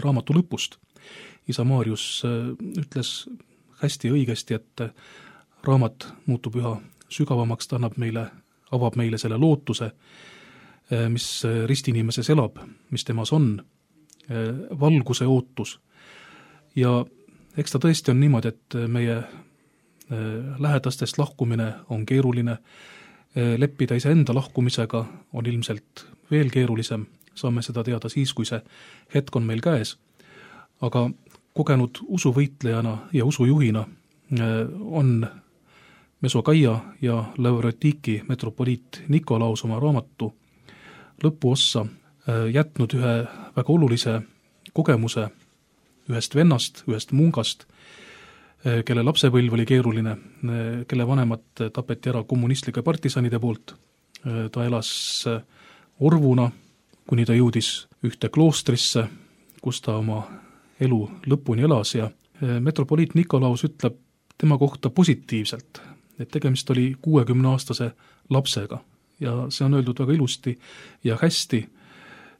raamatu lõpust. Isa Maarjus ütles hästi õigesti, et raamat muutub üha sügavamaks, ta avab meile selle lootuse, mis ristinimises elab, mis temas on, valguse ootus. Ja eks ta tõesti on niimoodi, et meie lähedastest lahkumine on keeruline, leppida iseenda lahkumisega on ilmselt veel keerulisem, saame seda teada siis, kui see hetk on meil käes. Aga kogenud usuvõitlejana ja usujuhina on Mesokaia ja Lavrotiki metropoliit Nikolaus oma raamatu lõpuossa jätnud ühe väga olulise kogemuse ühest vennast, ühest mungast, kelle lapsepõlv oli keeruline, kelle vanemad tapeti ära kommunistlike partisanide poolt. Ta elas orvuna, kuni ta jõudis ühte kloostrisse, kus ta oma elu lõpuni elas ja metropoliit Nikolaus ütleb tema kohta positiivselt, et tegemist oli 60-aastase lapsega ja see on öeldud väga ilusti ja hästi,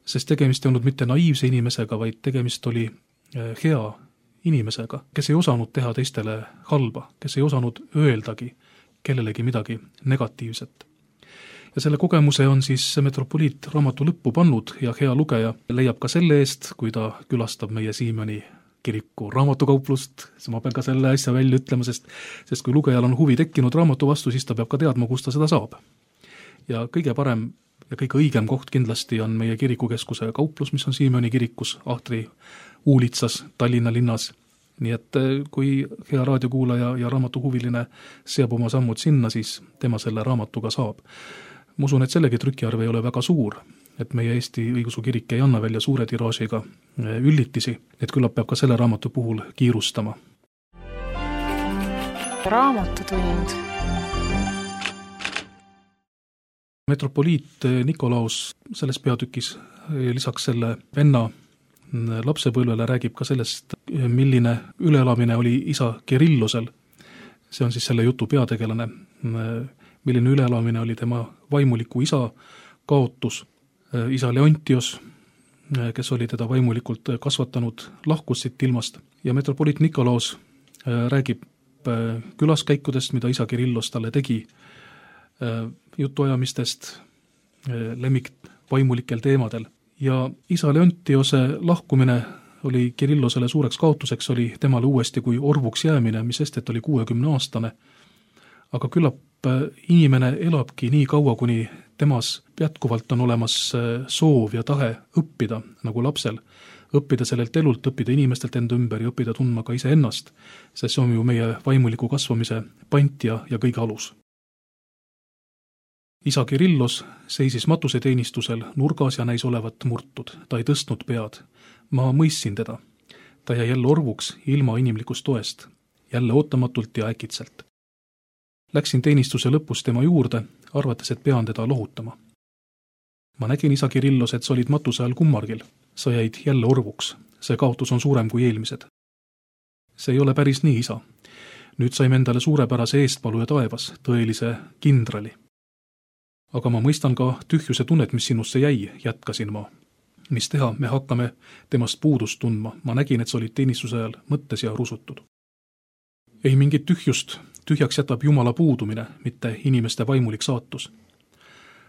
sest tegemist ei olnud mitte naiivse inimesega, vaid tegemist oli hea inimesega, kes ei osanud teha teistele halba, kes ei osanud öeldagi kellelegi midagi negatiivset. Ja selle kogemuse on siis metropoliit raamatu lõppu pannud ja hea lugeja leiab ka selle eest, kui ta külastab meie Siimani kiriku raamatukauplust, ma pean ka selle asja välja ütlema, sest kui lugejal on huvi tekkinud raamatu vastu, siis ta peab ka teadma, kus ta seda saab. Ja kõige parem ja kõige õigem koht kindlasti on meie kirikukeskuse kauplus, mis on Siimani kirikus Ahtri uulitsas Tallinna linnas. Nii et kui hea raadiokuulaja ja raamatuhuviline seab oma sammud sinna, siis tema selle raamatuga saab. Ma usun, et sellegi trükiarv ei ole väga suur, et meie Eesti õigeusu kirik ei anna välja suure tiraažiga üllitisi, et küllap peab ka selle raamatu puhul kiirustama. Raamatutund. Metropoliit Nikolaus selles peatükis lisaks selle venna lapsepõlvele räägib ka sellest, milline üleelamine oli isa Kirillosel. See on siis selle jutu peategelane, milline üleelamine oli tema vaimuliku isa kaotus. Isa Leontios, kes oli teda vaimulikult kasvatanud, lahkus siit ilmast ja metropoliit Nikolaus räägib külaskäikudest, mida isa Kirillos talle tegi, jutuajamistest lemmik vaimulikel teemadel. Ja isa Leontiose lahkumine oli Kirillosele suureks kaotuseks, oli temale uuesti kui orvuks jäämine, mis estet oli 60-aastane. Aga küllap inimene elabki nii kaua, kuni temas jätkuvalt on olemas soov ja tahe õppida, nagu lapsel. Õppida sellelt elult, õppida inimestelt enda ümber ja õppida tundma ka ise ennast, sest see on ju meie vaimuliku kasvamise pant ja kõige alus. Isa Kirillos seisis matuseteenistusel nurgas ja näis olevat murtud. Ta ei tõstnud pead. Ma mõistsin teda. Ta jäi jälle orvuks ilma inimlikust toest. Jälle ootamatult ja äkitselt. Läksin teenistuse lõpus tema juurde, arvates, et pean teda lohutama. Ma nägin isa Kirillos, et sa olid matuse all kummargil. Sa jäid jälle orvuks. See kaotus on suurem kui eelmised. See ei ole päris nii, isa. Nüüd saime endale suurepärase eestpaluja taevas, tõelise kindrali. Aga ma mõistan ka tühjuse tunnet, mis sinusse jäi, jätkasin ma. Mis teha, me hakkame temast puudust tundma. Ma nägin, et sa olid teenistuse ajal mõttes ja rusutud. Ei mingit tühjust, tühjaks jätab Jumala puudumine, mitte inimeste vaimulik saatus.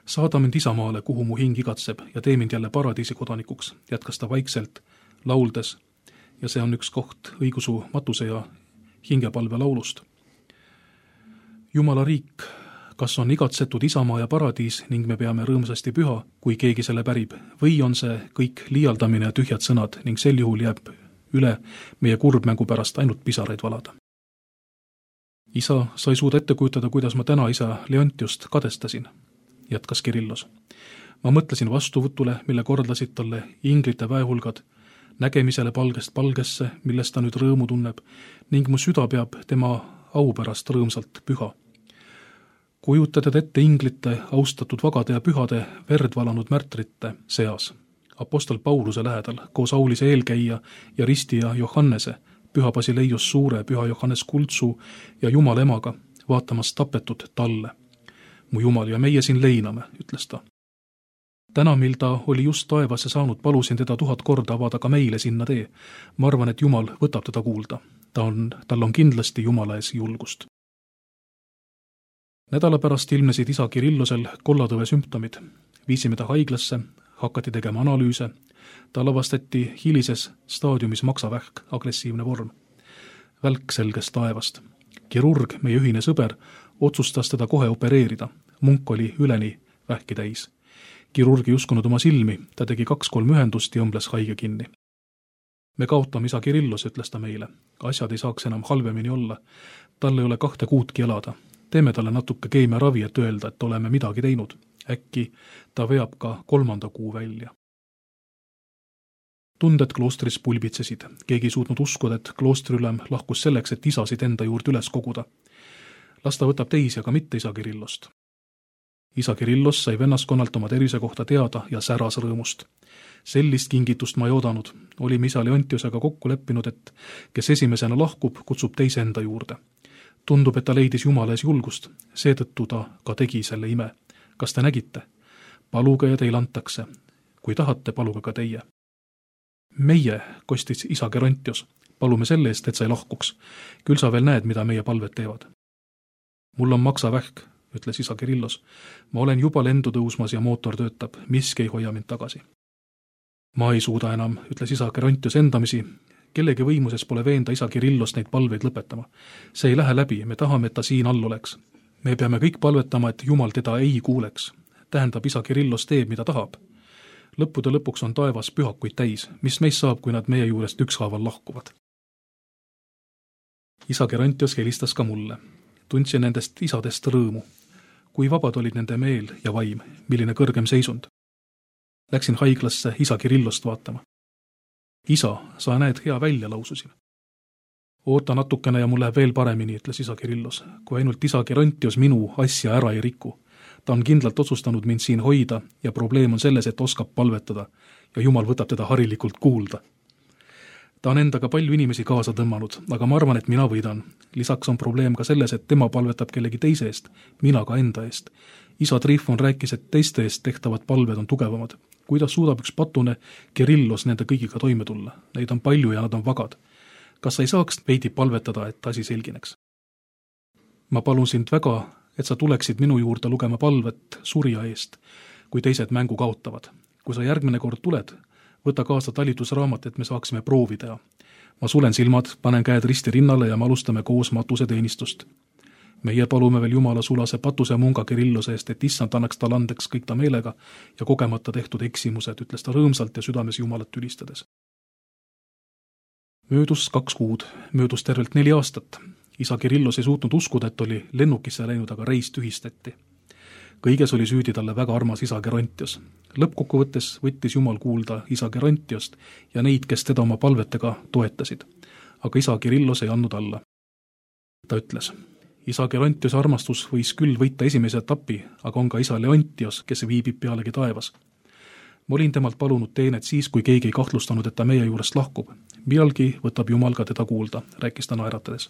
Saada mind isamaale, kuhu mu hing igatseb ja tee mind jälle paradiisi kodanikuks, jätkas ta vaikselt, lauldes. Ja see on üks koht õigusu matuse ja hingepalve laulust. Jumala riik, kas on igatsetud isamaa ja paradiis ning me peame rõõmsasti püha, kui keegi selle pärib, või on see kõik liialdamine ja tühjad sõnad ning sel juhul jääb üle meie kurbmängu pärast ainult pisaraid valada. Isa, sa ei suuda ette kujutada, kuidas ma täna isa Leontiost kadestasin, jätkas Kirillos. Ma mõtlesin vastuvõtule, mille kordasid talle inglite väehulgad, nägemisele palgest palgesse, millest ta nüüd rõõmu tunneb, ning mu süda peab tema au pärast rõõmsalt püha. Kujutad ette inglite, austatud vagade ja pühade, verd valanud märtrite seas. Apostel Pauluse lähedal, koos Aulise eelkäija ja ristija Johannese, püha Basileius Suure, püha Johannes Kultsu ja Jumala emaga, vaatamas tapetud talle. Mu Jumal ja meie siin leiname, ütles ta. Täna, mil ta oli just taevasse saanud, palusin teda 1000 korda avada ka meile sinna tee. Ma arvan, et Jumal võtab teda kuulda. Tal on kindlasti Jumala ees julgust. Nädala pärast ilmnesid isa Kirillosel kollatõve sümptomid. Viisime ta haiglasse, hakati tegema analüüse. Ta lavastati hilises staadiumis maksavähk, agressiivne vorm. Välk selges taevast. Kirurg, meie ühine sõber, otsustas teda kohe opereerida. Munk oli üleni vähki täis. Kirurg ei uskunud oma silmi, ta tegi 2-3 ühendust ja õmbles haige kinni. Me kaotame isa Kirillos, ütles ta meile. Asjad ei saaks enam halvemini olla. Tal ei ole 2 kuudki elada. Teeme talle natuke keemiaravi, et öelda, et oleme midagi teinud. Äkki ta veab ka 3. kuu välja. Tunded kloostris pulbitsesid. Keegi ei suutnud uskuda, et kloostriülem lahkus selleks, et isasid enda juurde üles koguda. Las ta võtab teisi, aga mitte isa Kirillost. Isa Kirillos sai vennaskonnalt oma tervise kohta teada ja säras rõõmust. Sellist kingitust ma ei oodanud. Olime isa Leontiosega kokku leppinud, et kes esimesena lahkub, kutsub teise enda juurde. Tundub, et ta leidis Jumala ees julgust, seetõttu ta ka tegi selle ime. Kas te nägite? Paluge ja teil antakse. Kui tahate, paluge ka teie. Meie, kostis isa Gerontios, palume selle eest, et sa ei lahkuks. Küll sa veel näed, mida meie palved teevad. Mul on maksavähk, ütles isa Kirillos. Ma olen juba lendu tõusmas ja mootor töötab, miski ei hoia mind tagasi. Ma ei suuda enam, ütles isa Gerontios endamisi. Kellegi võimuses pole veenda isa Kirillost neid palveid lõpetama. See ei lähe läbi, me tahame, et ta siin all oleks. Me peame kõik palvetama, et Jumal teda ei kuuleks. Tähendab, isa Kirillos teeb, mida tahab. Lõppude lõpuks on taevas pühakuid täis, mis meist saab, kui nad meie juurest ükshaaval lahkuvad. Isa Gerontios helistas ka mulle. Tundsin nendest isadest rõõmu. Kui vabad olid nende meel ja vaim, milline kõrgem seisund. Läksin haiglasse isa Kirillost vaatama. Isa, sa näed hea välja, laususin. Oota natukene ja mul läheb veel paremini, ütles isa Kirillos, kui ainult isa Gerontios minu asja ära ei riku. Ta on kindlalt otsustanud mind siin hoida ja probleem on selles, et oskab palvetada ja Jumal võtab teda harilikult kuulda. Ta on endaga palju inimesi kaasa tõmmanud, aga ma arvan, et mina võidan. Lisaks on probleem ka selles, et tema palvetab kellegi teise eest, mina ka enda eest. Isa Trifon rääkis, et teiste eest tehtavad palved on tugevamad. Kuidas suudab üks patune Kirillos nende kõigiga toime tulla? Neid on palju ja nad on vagad. Kas sa ei saaks veidi palvetada, et asi selgineks? Ma palun sind väga, et sa tuleksid minu juurde lugema palvet surja eest, kui teised mängu kaotavad. Kui sa järgmine kord tuled, võta kaasa talitusraamat, et me saaksime proovi teha. Ma sulen silmad, panen käed risti rinnale ja me alustame koos matuse teenistust. Meie palume veel Jumala sulase patuse munga Kirillose eest, et issand annaks tal andeks kõik ta meelega ja kogemata tehtud eksimused, ütles ta rõõmsalt ja südames Jumalat ülistades. Möödus 2 kuud, möödus tervelt 4 aastat. Isa Kirillos ei suutnud uskuda, et oli lennukisse läinud, aga reis tühistati. Kõiges oli süüdi talle väga armas isa Gerontios. Lõppkokkuvõttes võttis Jumal kuulda isa Gerontiost ja neid, kes teda oma palvetega toetasid. Aga isa Kirillos ei andnud alla. Ta ütles, isa Gerontios armastus võis küll võita esimese etapi, aga on ka isa Leontios, kes viibib pealegi taevas. Ma olin temalt palunud teenet siis, kui keegi ei kahtlustanud, et ta meie juurest lahkub. Millalgi võtab Jumal ka teda kuulda, rääkis ta naeratades.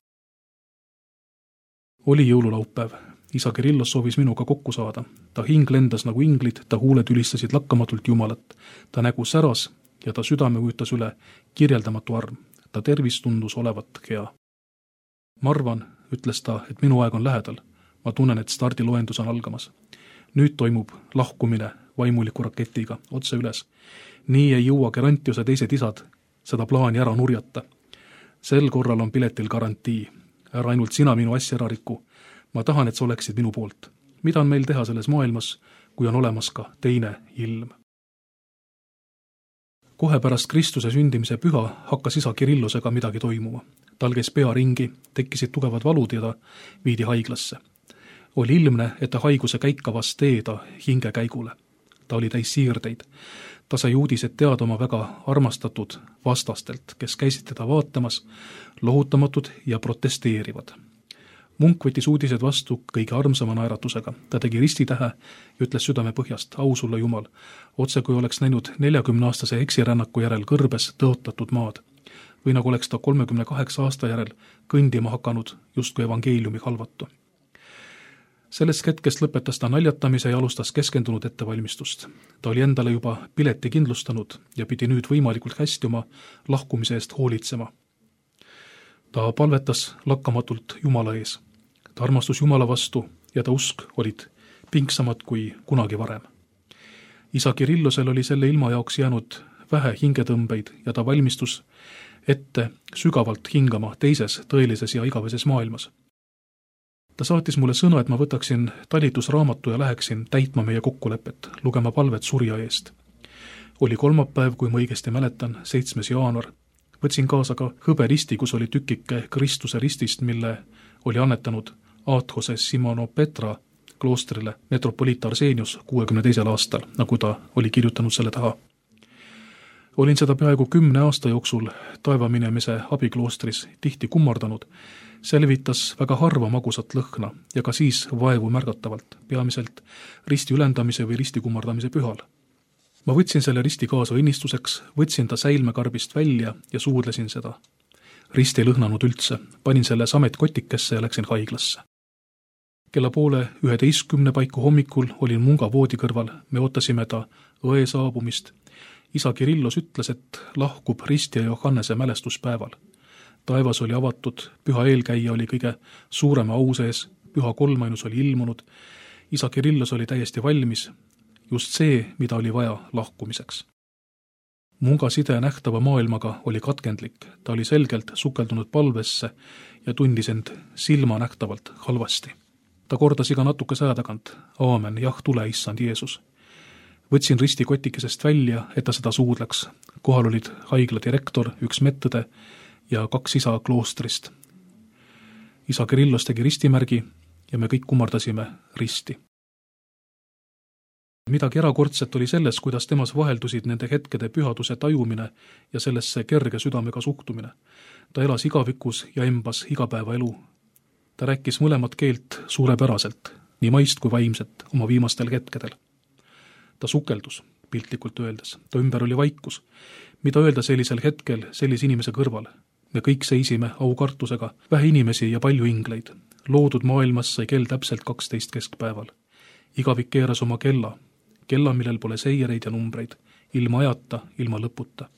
Oli jõululaupäev. Isa Kirillos soovis minuga kokku saada. Ta hing lendas nagu inglid, ta huuled ülistasid lakkamatult Jumalat. Ta nägu säras ja ta südame ujutas üle kirjeldamatu arm. Ta tervis tundus olevat hea. Ma arvan, ütles ta, et minu aeg on lähedal. Ma tunnen, et stardiloendus on algamas. Nüüd toimub lahkumine vaimuliku raketiga otse üles. Nii ei jõua Gerontiose teised isad seda plaani ära nurjata. Sel korral on piletil garantii. Ära ainult sina minu asja ära riku. Ma tahan, et sa oleksid minu poolt. Mida on meil teha selles maailmas, kui on olemas ka teine ilm? Kohe pärast Kristuse sündimise püha hakkas isa Kirillosega midagi toimuma. Tal käis pea ringi, tekkisid tugevad valud ja ta viidi haiglasse. Oli ilmne, et ta haiguse käikavas teeda hingekäigule. Ta oli täis siirdeid. Ta sai uudised teada oma väga armastatud vastastelt, kes käisid teda vaatamas, lohutamatud ja protesteerivad. Munk võttis uudised vastu kõige armsama naeratusega. Ta tegi ristitähe ja ütles südame põhjast, au sulle Jumal, otse kui oleks näinud 40-aastase eksirännaku järel kõrbes tõotatud maad. Või nagu oleks ta 38 aasta järel kõndima hakanud justkui evangeeliumi halvatu. Sellest hetkest lõpetas ta naljatamise ja alustas keskendunud ettevalmistust. Ta oli endale juba pileti kindlustanud ja pidi nüüd võimalikult hästi oma lahkumise eest hoolitsema. Ta palvetas lakkamatult Jumala ees. Ta armastus Jumala vastu ja ta usk olid pingsamad kui kunagi varem. Isa Kirillosel oli selle ilma jaoks jäänud vähe hingetõmbeid ja ta valmistus ette sügavalt hingama teises, tõelises ja igaveses maailmas. Ta saatis mulle sõna, et ma võtaksin talitusraamatu ja läheksin täitma meie kokkulepet, lugema palvet surja eest. Oli kolmapäev, kui ma õigesti mäletan, 7. jaanuar. Võtsin kaasa ka hõberisti, kus oli tükike Kristuse ristist, mille oli annetanud Aathose Simonopetra kloostrile metropoliit Arsenius 62. aastal, nagu ta oli kirjutanud selle taha. Olin seda peaaegu 10 aasta jooksul taevaminemise abikloostris tihti kummardanud. See levitas väga harva magusat lõhna ja ka siis vaevu märgatavalt, peamiselt risti ülendamise või risti kummardamise pühal. Ma võtsin selle risti kaasa õnnistuseks, võtsin ta säilmekarbist välja ja suudlesin seda. Rist ei lõhnanud üldse, panin selle sametkotikesse ja läksin haiglasse. Kella 10:30 paiku hommikul olin Munga voodi kõrval, me ootasime ta õe saabumist. Isa Kirillos ütles, et lahkub Risti ja Johannese mälestuspäeval. Taevas oli avatud, püha eelkäija oli kõige suurema au sees, püha kolmainus oli ilmunud, isa Kirillos oli täiesti valmis, just see, mida oli vaja lahkumiseks. Munga side nähtava maailmaga oli katkendlik, ta oli selgelt sukeldunud palvesse ja tundis end silmanähtavalt halvasti. Ta kordas iga natukese aja tagant, aamen, jah, tule, issand Jeesus. Võtsin Risti kotikesest välja, et ta seda suudleks. Kohal olid haigla direktor, üks medõde ja 2 isa kloostrist. Isa Kirillos tegi ristimärgi ja me kõik kummardasime risti. Midagi erakordset oli selles, kuidas temas vaheldusid nende hetkede pühaduse tajumine ja sellesse kerge südamega suhtumine. Ta elas igavikus ja embas igapäevaelu. Ta rääkis mõlemat keelt suurepäraselt, nii maist kui vaimset, oma viimastel hetkedel. Ta sukeldus, piltlikult öeldes. Ta ümber oli vaikus. Mida öelda sellisel hetkel sellise inimese kõrval? Me kõik seisime aukartusega, vähe inimesi ja palju ingleid. Loodud maailmas sai kell täpselt 12 keskpäeval. Igavik keeras oma kella, millel pole seireid ja numbreid, ilma ajata, ilma lõputa.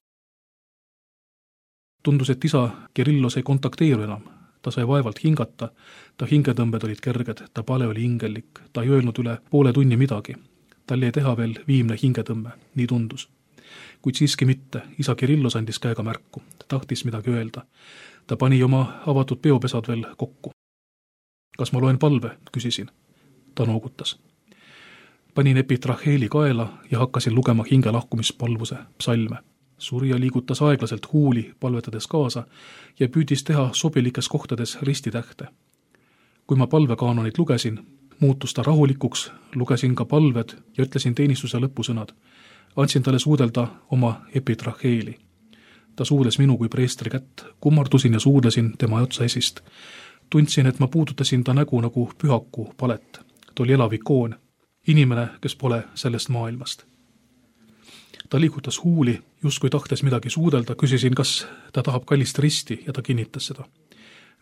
Tundus, et isa Kirillos ei kontakteeru enam. Ta sai vaevalt hingata, ta hingetõmbed olid kerged, ta pale oli hingellik, ta ei öelnud üle poole tunni midagi. Tal jäi teha veel viimne hingetõmme, nii tundus. Kuid siiski mitte, isa Kirillos andis käega märku, ta tahtis midagi öelda. Ta pani oma avatud peopesad veel kokku. Kas ma loen palve, küsisin. Ta noogutas. Panin epitraheeli kaela ja hakkasin lugema hingelahkumispalvuse psalme. Surja liigutas aeglaselt huuli, palvetades kaasa ja püüdis teha sobilikes kohtades ristitähte. Kui ma palvekaanonit lugesin, muutus ta rahulikuks, lugesin ka palved ja ütlesin teenistuse lõpusõnad. Andsin talle suudelda oma epitraheeli. Ta suudes minu kui preestri kätt, kummardusin ja suudlesin tema otsa esist. Tundsin, et ma puudutasin ta nägu nagu pühaku palet. Ta oli elav ikoon, inimene, kes pole sellest maailmast. Ta liigutas huuli, justkui tahtes midagi suudelda, küsisin, kas ta tahab kallist risti ja ta kinnitas seda.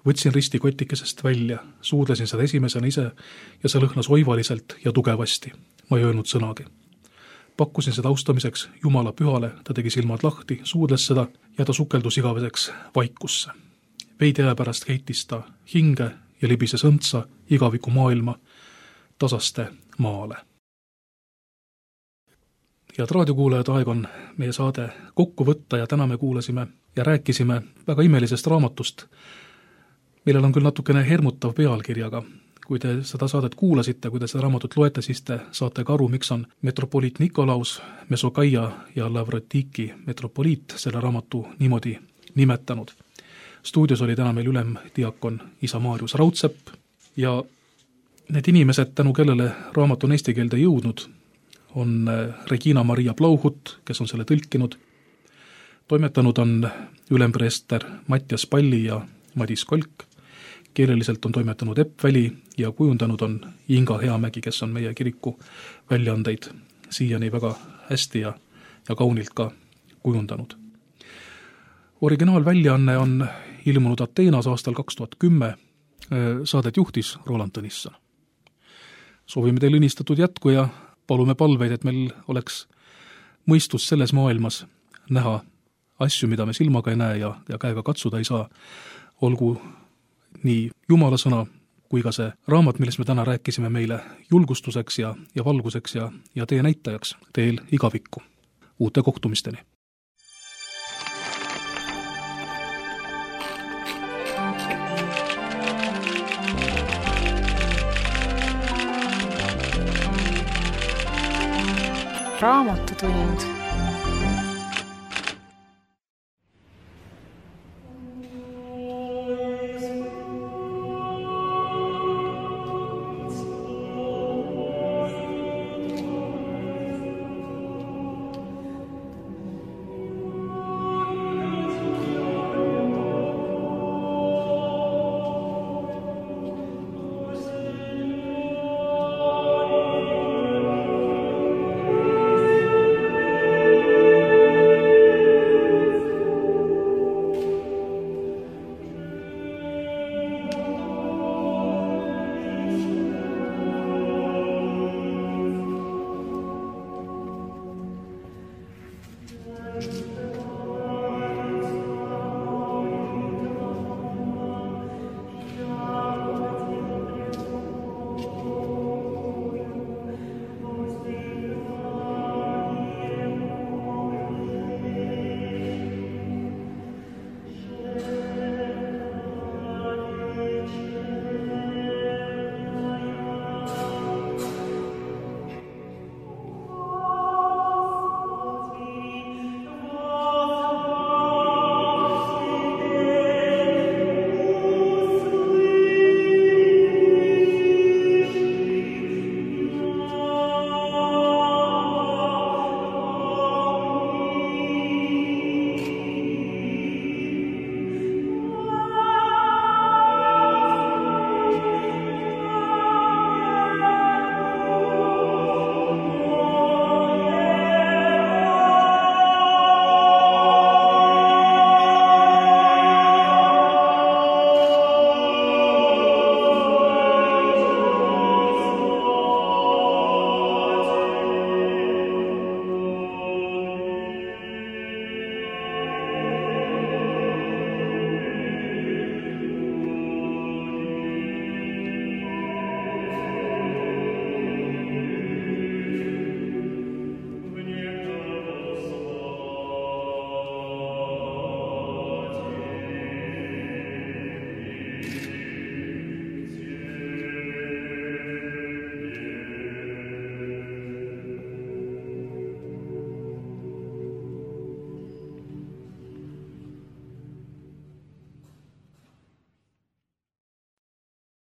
Võtsin risti kotikesest välja, suudlesin seda esimesena ise ja see lõhnas oivaliselt ja tugevasti. Ma ei öelnud sõnagi. Pakkusin seda austamiseks Jumala pühale, ta tegi silmad lahti, suudles seda ja ta sukeldus igaveseks vaikusse. Veidi aja pärast heitis ta hinge ja libises õntsa igaviku maailma tasaste maale. Head raadiokuulajad, aeg on meie saade kokku võtta ja täna me kuulasime ja rääkisime väga imelisest raamatust, millel on küll natukene hermutav pealkirjaga. Kui te seda saadet kuulasite, kui te seda raamatut loete, siis te saate ka aru, miks on metropoliit Nikolaus, Mesokaia ja Lavrotiki metropoliit selle raamatu niimoodi nimetanud. Stuudios oli täna meil ülemdiakon isa Maarjus Raudsepp ja need inimesed, tänu kellele raamat on eesti keelde jõudnud, on Regina Maria Blauhut, kes on selle tõlkinud. Toimetanud on ülempreester Mattias Palli ja Madis Kolk. Keeleliselt on toimetanud Epp Väli ja kujundanud on Inga Heamägi, kes on meie kiriku väljaandeid siiani väga hästi ja kaunilt ka kujundanud. Originaalväljaanne on ilmunud Ateenas aastal 2010. Saadet juhtis Roland Tõnisson. Soovime teile õnnistatud jätku ja palume palveid, et meil oleks mõistus selles maailmas näha asju, mida me silmaga ei näe ja käega katsuda ei saa. Olgu nii Jumala sõna kui ka see raamat, millest me täna rääkisime, meile julgustuseks ja valguseks ja tee näitajaks teel igavikku. Uute kohtumisteni! Raamatutund.